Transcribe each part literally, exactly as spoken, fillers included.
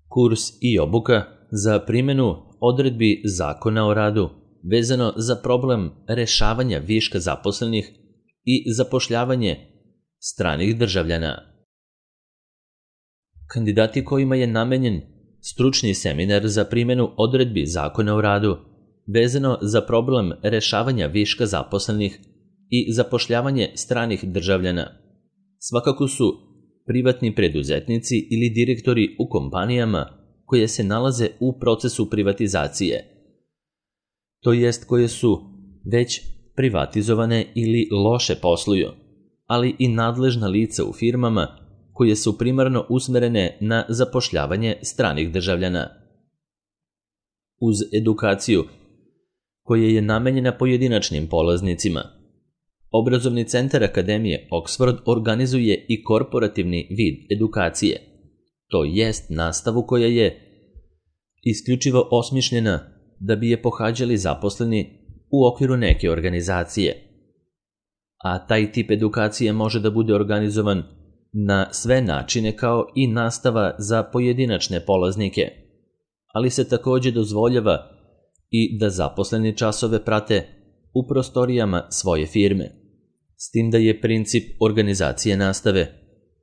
kurs i obuka za primjenu odredbi Zakona o radu vezano za problem rešavanja viška zaposlenih i zapošljavanje stranih državljana. Kandidati kojima je namenjen stručni seminar za primjenu odredbi Zakona o radu vezano za problem rešavanja viška zaposlenih i zapošljavanje stranih državljana svakako su privatni preduzetnici ili direktori u kompanijama koje se nalaze u procesu privatizacije, to jest koje su već privatizovane ili loše posluju, ali i nadležna lica u firmama koje su primarno usmerene na zapošljavanje stranih državljana. Uz edukaciju koja je namenjena pojedinačnim polaznicima, Obrazovni centar Akademije Oxford organizuje i korporativni vid edukacije, to jest nastavu koja je isključivo osmišljena da bi je pohađali zaposleni u okviru neke organizacije. A taj tip edukacije može da bude organizovan na sve načine kao i nastava za pojedinačne polaznike, ali se takođe dozvoljava i da zaposleni časove prate u prostorijama svoje firme, s tim da je princip organizacije nastave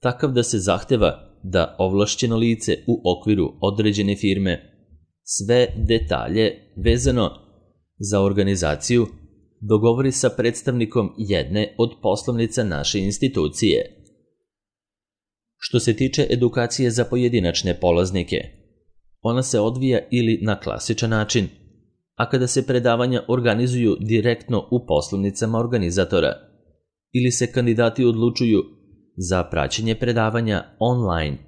takav da se zahteva da ovlašćeno lice u okviru određene firme sve detalje vezano za organizaciju dogovori sa predstavnikom jedne od poslovnica naše institucije. Što se tiče edukacije za pojedinačne polaznike, ona se odvija ili na klasičan način, a kada se predavanja organizuju direktno u poslovnicama organizatora, ili se kandidati odlučuju za praćenje predavanja online.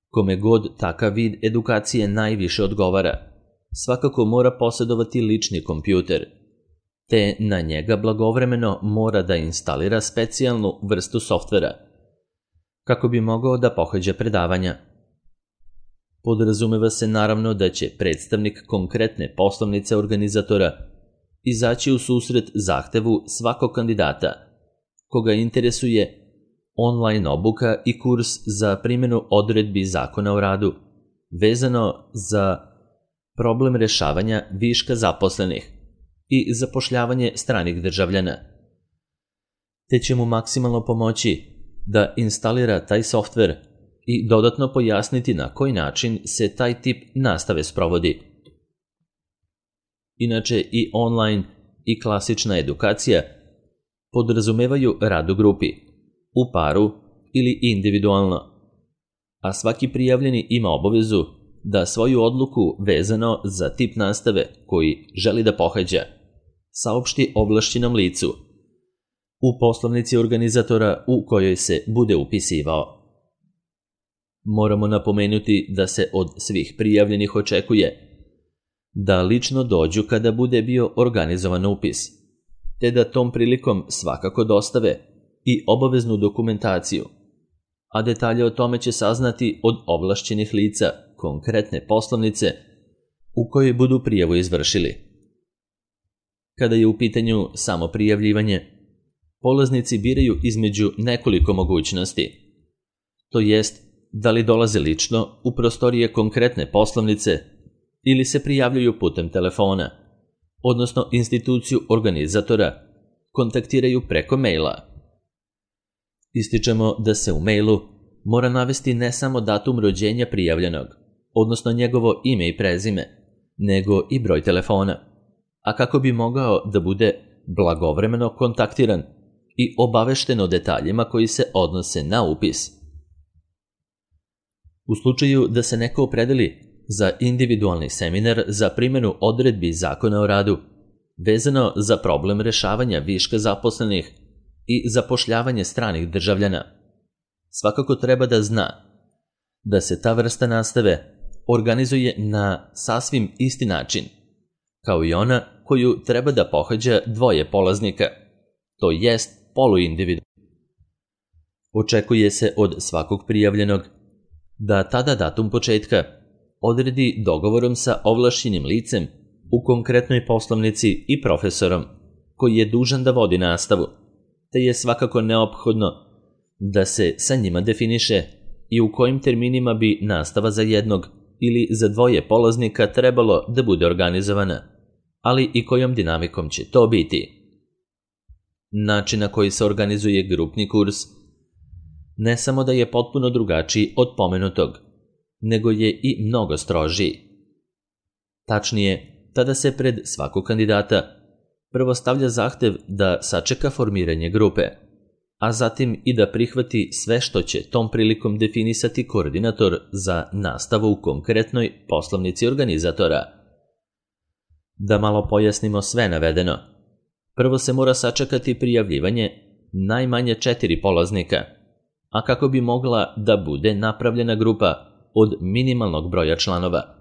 Kome god takav vid edukacije najviše odgovara, svakako mora posjedovati lični kompjuter, te na njega blagovremeno mora da instalira specijalnu vrstu softvera, kako bi mogao da pohađa predavanja. Podrazumeva se naravno da će predstavnik konkretne poslovnice organizatora izaći u susret zahtevu svakog kandidata, koga interesuje online obuka i kurs za primjenu odredbi Zakona o radu, vezano za problem rešavanja viška zaposlenih i zapošljavanje stranih državljana, te će mu maksimalno pomoći da instalira taj softver i dodatno pojasniti na koji način se taj tip nastave sprovodi. Inače, i online i klasična edukacija podrazumevaju rad u grupi, u paru ili individualno, a svaki prijavljeni ima obavezu da svoju odluku vezano za tip nastave koji želi da pohađa saopšti ovlašćenom licu u poslovnici organizatora u kojoj se bude upisivao. Moramo napomenuti da se od svih prijavljenih očekuje da lično dođu kada bude bio organizovan upis, te da tom prilikom svakako dostave i obaveznu dokumentaciju, a detalje o tome će saznati od ovlašćenih lica konkretne poslovnice u kojoj budu prijavu izvršili. Kada je u pitanju samo prijavljivanje, polaznici biraju između nekoliko mogućnosti, to jest da li dolaze lično u prostorije konkretne poslovnice ili se prijavljuju putem telefona, odnosno instituciju organizatora kontaktiraju preko maila. Ističemo da se u mailu mora navesti ne samo datum rođenja prijavljenog, odnosno njegovo ime i prezime, nego i broj telefona, a kako bi mogao da bude blagovremeno kontaktiran i obavešten o detaljima koji se odnose na upis. U slučaju da se neko opredeli za individualni seminar za primjenu odredbi Zakona o radu, vezano za problem rešavanja viška zaposlenih i zapošljavanje stranih državljana, svakako treba da zna da se ta vrsta nastave organizuje na sasvim isti način, kao i ona koju treba da pohađa dvoje polaznika, to jest poluindividualno. Očekuje se od svakog prijavljenog da tada datum početka odredi dogovorom sa ovlašćenim licem u konkretnoj poslovnici i profesorom koji je dužan da vodi nastavu, te je svakako neophodno da se sa njima definiše i u kojim terminima bi nastava za jednog ili za dvoje polaznika trebalo da bude organizovana, ali i kojom dinamikom će to biti. Način na koji se organizuje grupni kurs ne samo da je potpuno drugačiji od pomenutog, nego je i mnogo strožiji. Tačnije, tada se pred svakog kandidata prvo stavlja zahtev da sačeka formiranje grupe, a zatim i da prihvati sve što će tom prilikom definisati koordinator za nastavu u konkretnoj poslovnici organizatora. Da malo pojasnimo sve navedeno. Prvo se mora sačekati prijavljivanje najmanje četiri polaznika, a kako bi mogla da bude napravljena grupa od minimalnog broja članova,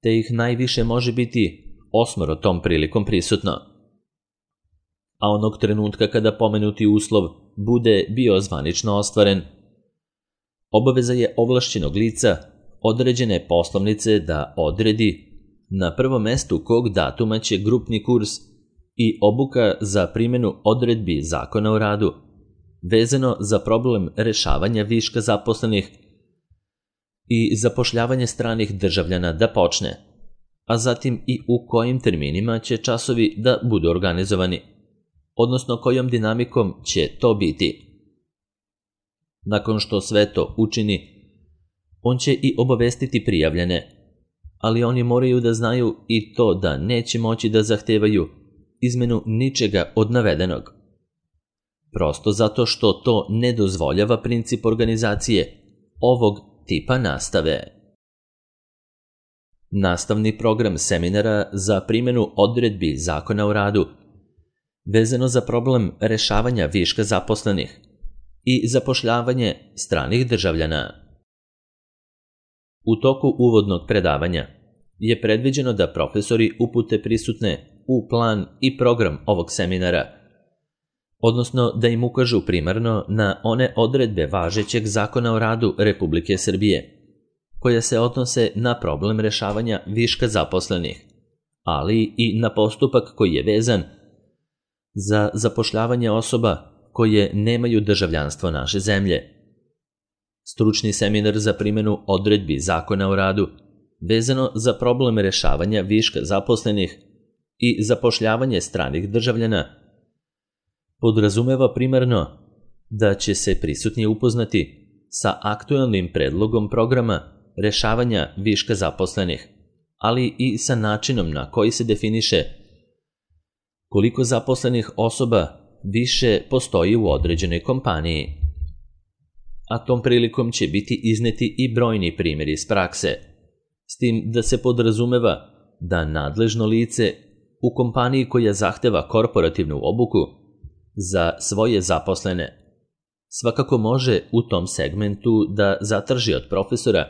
te ih najviše može biti osmoro tom prilikom prisutno. A onog trenutka kada pomenuti uslov bude bio zvanično ostvaren, obaveza je ovlašćenog lica određene poslovnice da odredi na prvom mestu kog datuma će grupni kurs i obuka za primjenu odredbi Zakona o radu, vezano za problem rešavanja viška zaposlenih i zapošljavanje stranih državljana da počne, a zatim i u kojim terminima će časovi da budu organizovani, odnosno kojom dinamikom će to biti. Nakon što sve to učini, on će i obavestiti prijavljene, ali oni moraju da znaju i to da neće moći da zahtevaju izmenu ničega od navedenog. Prosto zato što to ne dozvoljava princip organizacije ovog tipa nastave. Nastavni program seminara za primjenu odredbi Zakona o radu, vezano za problem rešavanja viška zaposlenih i zapošljavanje stranih državljana. U toku uvodnog predavanja je predviđeno da profesori upute prisutne u plan i program ovog seminara, odnosno da im ukažu primarno na one odredbe važećeg Zakona o radu Republike Srbije, koje se odnose na problem rešavanja viška zaposlenih, ali i na postupak koji je vezan za zapošljavanje osoba koje nemaju državljanstvo naše zemlje. Stručni seminar za primjenu odredbi Zakona o radu, vezano za problem rešavanja viška zaposlenih i zapošljavanje stranih državljana, podrazumeva primarno da će se prisutni upoznati sa aktuelnim predlogom programa rešavanja viška zaposlenih, ali i sa načinom na koji se definiše koliko zaposlenih osoba više postoji u određenoj kompaniji. A tom prilikom će biti izneti i brojni primjeri iz prakse, s tim da se podrazumeva da nadležno lice u kompaniji koja zahteva korporativnu obuku za svoje zaposlene svakako može u tom segmentu da zatraži od profesora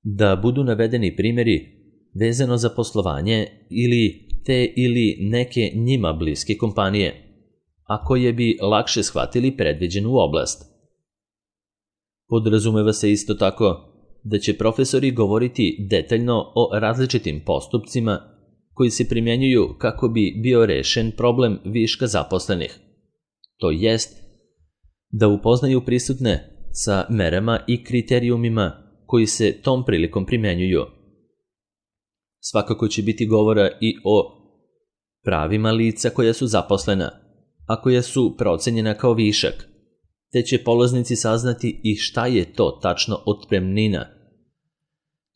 da budu navedeni primjeri vezano za poslovanje ili te ili neke njima bliske kompanije, a koje bi lakše shvatili predviđenu oblast. Podrazumeva se isto tako da će profesori govoriti detaljno o različitim postupcima koji se primjenjuju kako bi bio rešen problem viška zaposlenih, to jest da upoznaju prisutne sa merama i kriterijumima koji se tom prilikom primjenjuju. Svakako će biti govora i o pravima lica koja su zaposlena, a koja su procenjena kao višak, te će polaznici saznati i šta je to tačno otpremnina,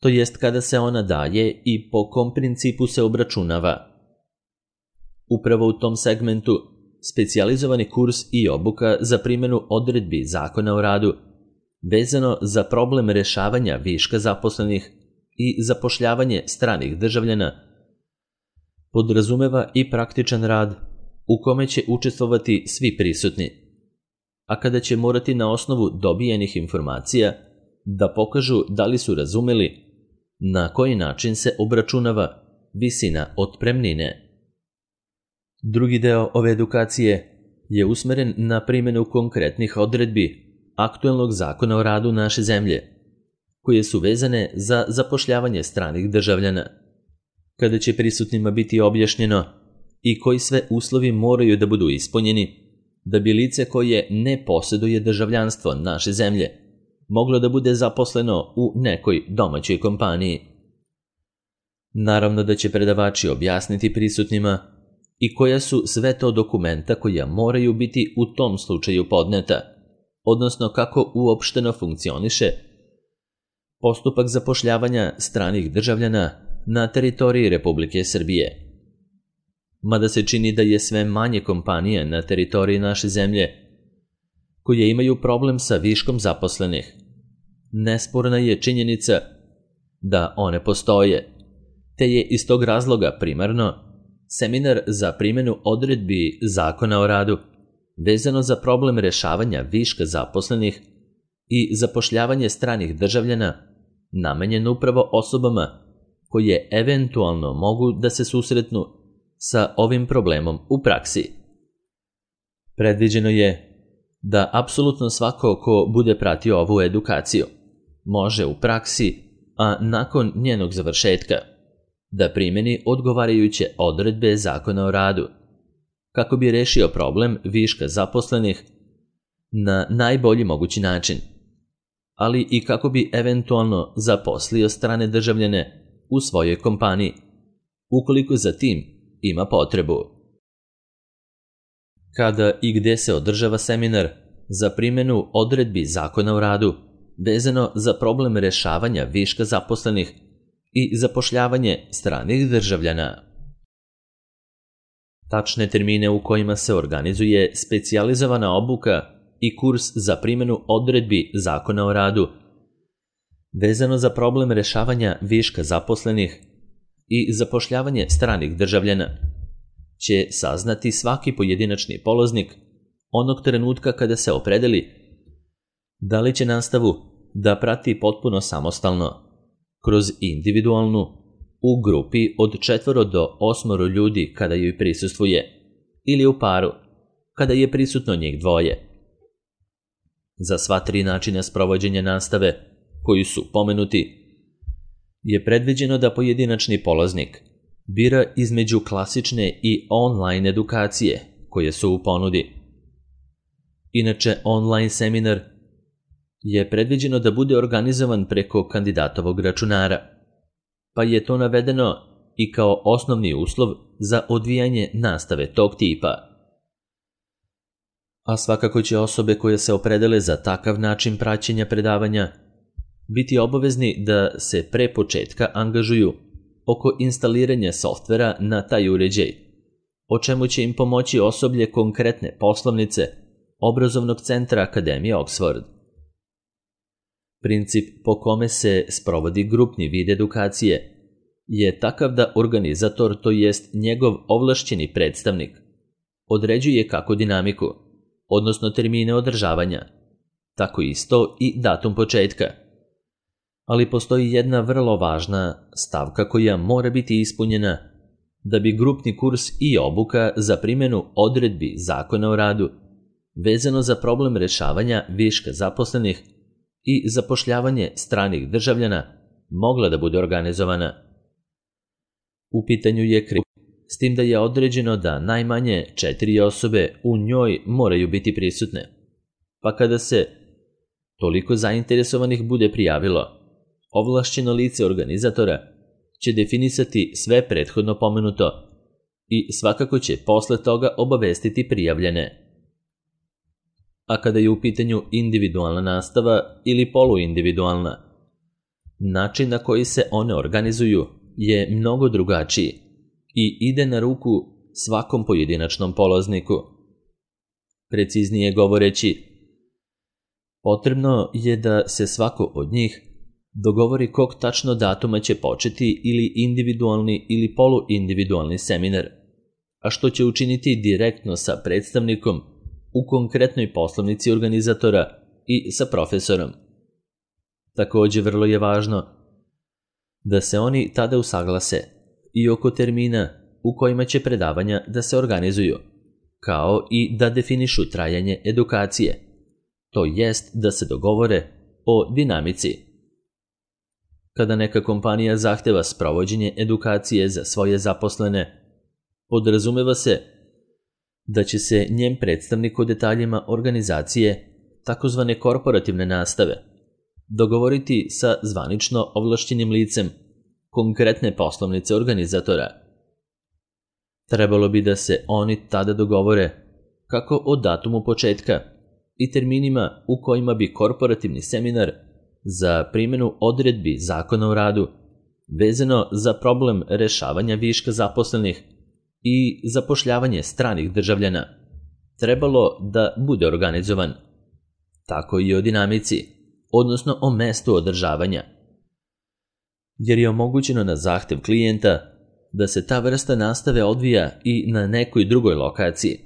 to jest kada se ona daje i po kom principu se obračunava. Upravo u tom segmentu specijalizovani kurs i obuka za primjenu odredbi Zakona o radu, vezano za problem rešavanja viška zaposlenih i zapošljavanje stranih državljana, podrazumeva i praktičan rad u kome će učestvovati svi prisutni, a kada će morati na osnovu dobijenih informacija da pokažu da li su razumeli na koji način se obračunava visina otpremnine. Drugi deo ove edukacije je usmeren na primjenu konkretnih odredbi aktuelnog Zakona o radu naše zemlje, koje su vezane za zapošljavanje stranih državljana, kada će prisutnima biti objašnjeno i koji sve uslovi moraju da budu ispunjeni da bi lice koje ne posjeduje državljanstvo naše zemlje moglo da bude zaposleno u nekoj domaćoj kompaniji. Naravno da će predavači objasniti prisutnima i koja su sve to dokumenta koja moraju biti u tom slučaju podneta, odnosno kako uopšteno funkcioniše postupak zapošljavanja stranih državljana na teritoriji Republike Srbije. Mada se čini da je sve manje kompanija na teritoriji naše zemlje koje imaju problem sa viškom zaposlenih, nesporna je činjenica da one postoje, te je iz tog razloga primarno seminar za primjenu odredbi Zakona o radu vezano za problem rešavanja viška zaposlenih i zapošljavanje stranih državljana namenjen upravo osobama koje eventualno mogu da se susretnu sa ovim problemom u praksi. Predviđeno je da apsolutno svako ko bude pratio ovu edukaciju može u praksi, a nakon njenog završetka, da primjeni odgovarajuće odredbe Zakona o radu, kako bi rešio problem viška zaposlenih na najbolji mogući način, ali i kako bi eventualno zaposlio strane državljane u svojoj kompaniji, ukoliko za tim ima potrebu. Kada i gde se održava seminar za primjenu odredbi Zakona o radu vezano za problem rešavanja viška zaposlenih i zapošljavanje stranih državljana. Tačne termine u kojima se organizuje specijalizovana obuka i kurs za primjenu odredbi Zakona o radu vezano za problem rešavanja viška zaposlenih i zapošljavanje stranih državljana će saznati svaki pojedinačni polaznik onog trenutka kada se opredeli da li će nastavu da prati potpuno samostalno, kroz individualnu, u grupi od četvoro do osmoro ljudi kada joj prisustvuje, ili u paru, kada je prisutno njih dvoje. Za sva tri načina sprovođenja nastave, koji su pomenuti, je predviđeno da pojedinačni polaznik bira između klasične i online edukacije koje su u ponudi. Inače, online seminar je predviđeno da bude organizovan preko kandidatovog računara, pa je to navedeno i kao osnovni uslov za odvijanje nastave tog tipa. A svakako će osobe koje se opredele za takav način praćenja predavanja biti obavezni da se pre početka angažuju oko instaliranja softvera na taj uređaj, o čemu će im pomoći osoblje konkretne poslovnice obrazovnog centra Akademije Oxford. Princip po kome se sprovodi grupni vid edukacije je takav da organizator, to jest njegov ovlašćeni predstavnik, određuje kako dinamiku, odnosno termine održavanja, tako isto i datum početka. Ali postoji jedna vrlo važna stavka koja mora biti ispunjena da bi grupni kurs i obuka za primjenu odredbi Zakona o radu vezano za problem rešavanja viška zaposlenih i zapošljavanje stranih državljana mogla da bude organizovana. U pitanju je krip, s tim da je određeno da najmanje četiri osobe u njoj moraju biti prisutne, pa kada se toliko zainteresovanih bude prijavilo, ovlašćeno lice organizatora će definisati sve prethodno pomenuto i svakako će posle toga obavestiti prijavljene. A kada je u pitanju individualna nastava ili poluindividualna, način na koji se one organizuju je mnogo drugačiji i ide na ruku svakom pojedinačnom polazniku. Preciznije govoreći, potrebno je da se svako od njih dogovori kog tačno datuma će početi ili individualni ili poluindividualni seminar, a što će učiniti direktno sa predstavnikom u konkretnoj poslovnici organizatora i sa profesorom. Također vrlo je važno da se oni tada usaglase i oko termina u kojima će predavanja da se organizuju, kao i da definišu trajanje edukacije, to jest da se dogovore o dinamici. Kada neka kompanija zahteva sprovođenje edukacije za svoje zaposlene, podrazumeva se da će se njen predstavnik o detaljima organizacije takozvane korporativne nastave dogovoriti sa zvanično ovlašćenim licem konkretne poslovnice organizatora. Trebalo bi da se oni tada dogovore kako o datumu početka i terminima u kojima bi korporativni seminar za primjenu odredbi Zakona o radu vezano za problem rešavanja viška zaposlenih i zapošljavanje stranih državljana trebalo da bude organizovan. Tako i o dinamici, odnosno o mestu održavanja. Jer je omogućeno na zahtev klijenta da se ta vrsta nastave odvija i na nekoj drugoj lokaciji,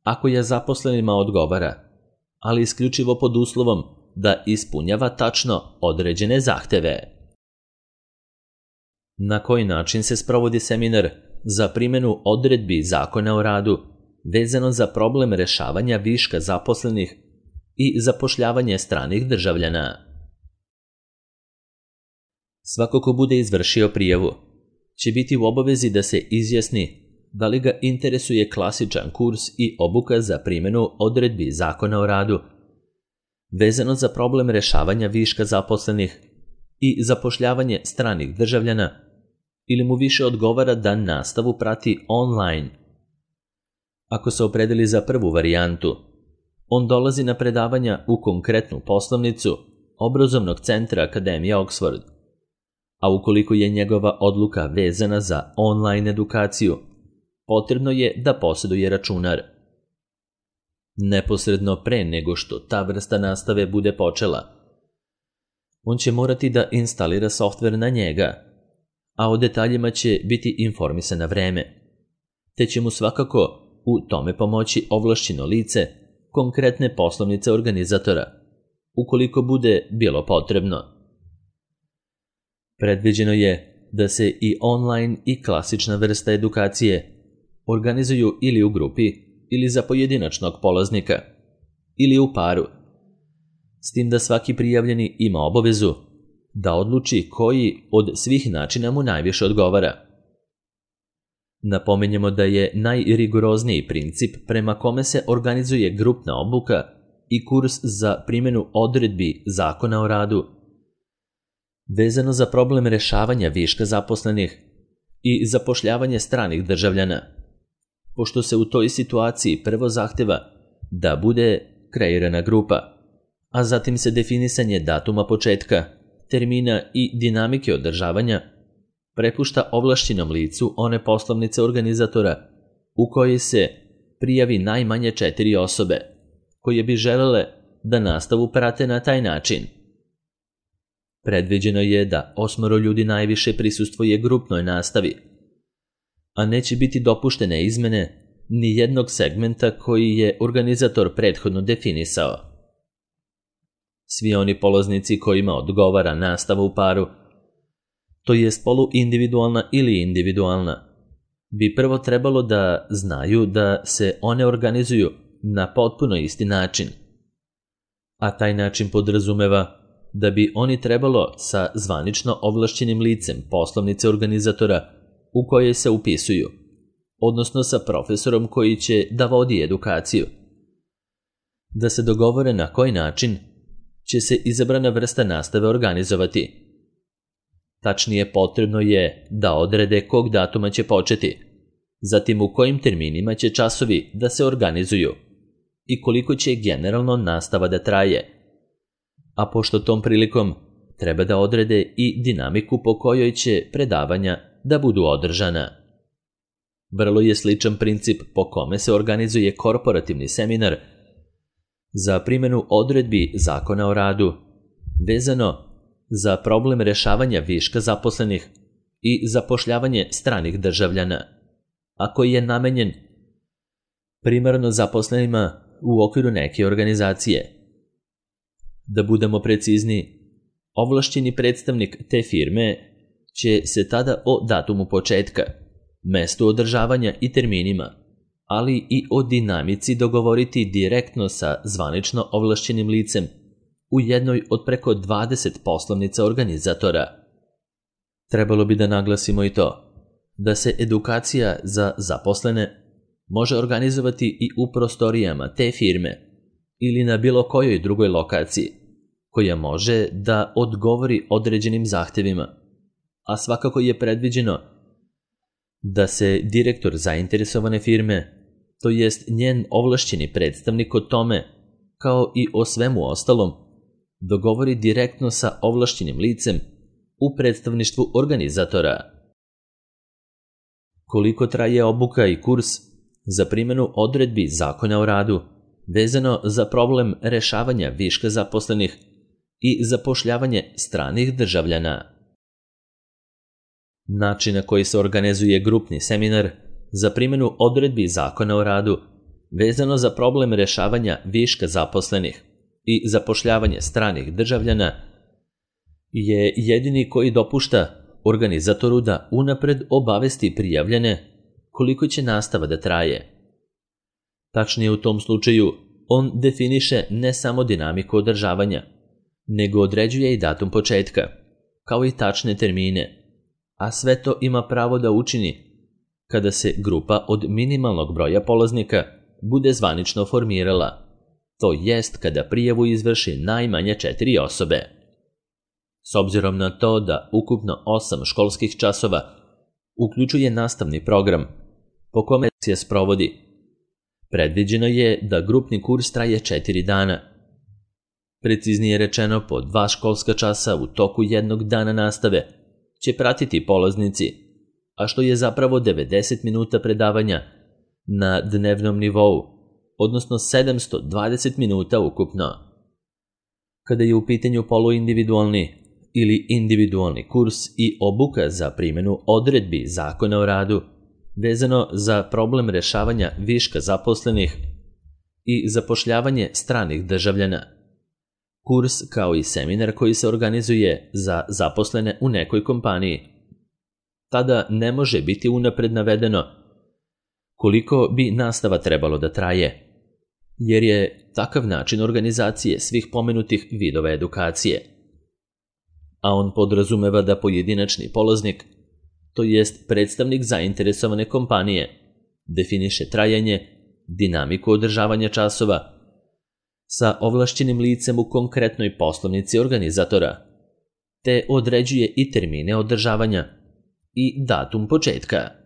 ako je zaposlenima odgovara, ali isključivo pod uslovom da ispunjava tačno određene zahteve. Na koji način se sprovodi seminar za primjenu odredbi Zakona o radu vezano za problem rešavanja viška zaposlenih i zapošljavanje stranih državljana? Svako ko bude izvršio prijavu će biti u obavezi da se izjasni da li ga interesuje klasičan kurs i obuka za primjenu odredbi Zakona o radu vezano za problem rešavanja viška zaposlenih i zapošljavanje stranih državljana, ili mu više odgovara da nastavu prati online. Ako se opredeli za prvu varijantu, on dolazi na predavanja u konkretnu poslovnicu obrazovnog centra Akademije Oxford, a ukoliko je njegova odluka vezana za online edukaciju, potrebno je da posjeduje računar. Neposredno pre nego što ta vrsta nastave bude počela, on će morati da instalira softver na njega, a o detaljima će biti informisan na vreme, te će mu svakako u tome pomoći ovlašćeno lice konkretne poslovnice organizatora, ukoliko bude bilo potrebno. Predviđeno je da se i online i klasična vrsta edukacije organizuju ili u grupi ili za pojedinačnog polaznika, ili u paru, s tim da svaki prijavljeni ima obavezu da odluči koji od svih načina mu najviše odgovara. Napominjemo da je najrigorozniji princip prema kome se organizuje grupna obuka i kurs za primjenu odredbi Zakona o radu vezano za problem rešavanja viška zaposlenih i zapošljavanje stranih državljana, pošto se u toj situaciji prvo zahteva da bude kreirana grupa, a zatim se definisanje datuma početka, termina i dinamike održavanja prepušta ovlašćenom licu one poslovnice organizatora u kojoj se prijavi najmanje četiri osobe koje bi želele da nastavu prate na taj način. Predviđeno je da osmoro ljudi najviše prisustvuje grupnoj nastavi, a neće biti dopuštene izmene ni jednog segmenta koji je organizator prethodno definisao. Svi oni polaznici kojima odgovara nastava u paru, to jest poluindividualna ili individualna, bi prvo trebalo da znaju da se one organizuju na potpuno isti način, a taj način podrazumeva da bi oni trebalo sa zvanično ovlašćenim licem poslovnice organizatora u kojoj se upisuju, odnosno sa profesorom koji će da vodi edukaciju, da se dogovore na koji način će se izabrana vrsta nastave organizovati. Tačnije, potrebno je da odrede kog datuma će početi, zatim u kojim terminima će časovi da se organizuju i koliko će generalno nastava da traje, a pošto tom prilikom treba da odrede i dinamiku po kojoj će predavanja da budu održana. Vrlo je sličan princip po kome se organizuje korporativni seminar za primjenu odredbi Zakona o radu vezano za problem rešavanja viška zaposlenih i zapošljavanje stranih državljana, a koji je namenjen primarno zaposlenima u okviru neke organizacije. Da budemo precizni, ovlašćeni predstavnik te firme će se tada o datumu početka, mestu održavanja i terminima, ali i o dinamici dogovoriti direktno sa zvanično ovlašćenim licem u jednoj od preko dvadeset poslovnica organizatora. Trebalo bi da naglasimo i to da se edukacija za zaposlene može organizovati i u prostorijama te firme ili na bilo kojoj drugoj lokaciji koja može da odgovori određenim zahtevima, a svakako je predviđeno da se direktor zainteresovane firme, to jest njen ovlašćeni predstavnik o tome, kao i o svemu ostalom, dogovori direktno sa ovlašćenim licem u predstavništvu organizatora. Koliko traje obuka i kurs za primjenu odredbi Zakona o radu vezano za problem rešavanja viška zaposlenih i zapošljavanje stranih državljana? Način na koji se organizuje grupni seminar za primjenu odredbi Zakona o radu vezano za problem rešavanja viška zaposlenih i zapošljavanje stranih državljana je jedini koji dopušta organizatoru da unapred obavesti prijavljene koliko će nastava da traje. Tačnije u tom slučaju, on definiše ne samo dinamiku održavanja, nego određuje i datum početka, kao i tačne termine, a sve to ima pravo da učini kada se grupa od minimalnog broja polaznika bude zvanično formirala, to jest kada prijavu izvrši najmanje četiri osobe. S obzirom na to da ukupno osam školskih časova uključuje nastavni program po kome se sprovodi, predviđeno je da grupni kurs traje četiri dana. Preciznije rečeno, po dva školska časa u toku jednog dana nastave će pratiti polaznici, a što je zapravo devedeset minuta predavanja na dnevnom nivou, odnosno sedamsto dvadeset minuta ukupno. Kada je u pitanju poluindividualni ili individualni kurs i obuka za primjenu odredbi Zakona o radu vezano za problem rešavanja viška zaposlenih i zapošljavanje stranih državljana, kurs kao i seminar koji se organizuje za zaposlene u nekoj kompaniji, tada ne može biti unapred navedeno koliko bi nastava trebalo da traje, jer je takav način organizacije svih pomenutih vidova edukacije. A on podrazumeva da pojedinačni polaznik, to jest predstavnik zainteresovane kompanije, definiše trajanje, dinamiku održavanja časova sa ovlašćenim licem u konkretnoj poslovnici organizatora, te određuje i termine održavanja i datum početka.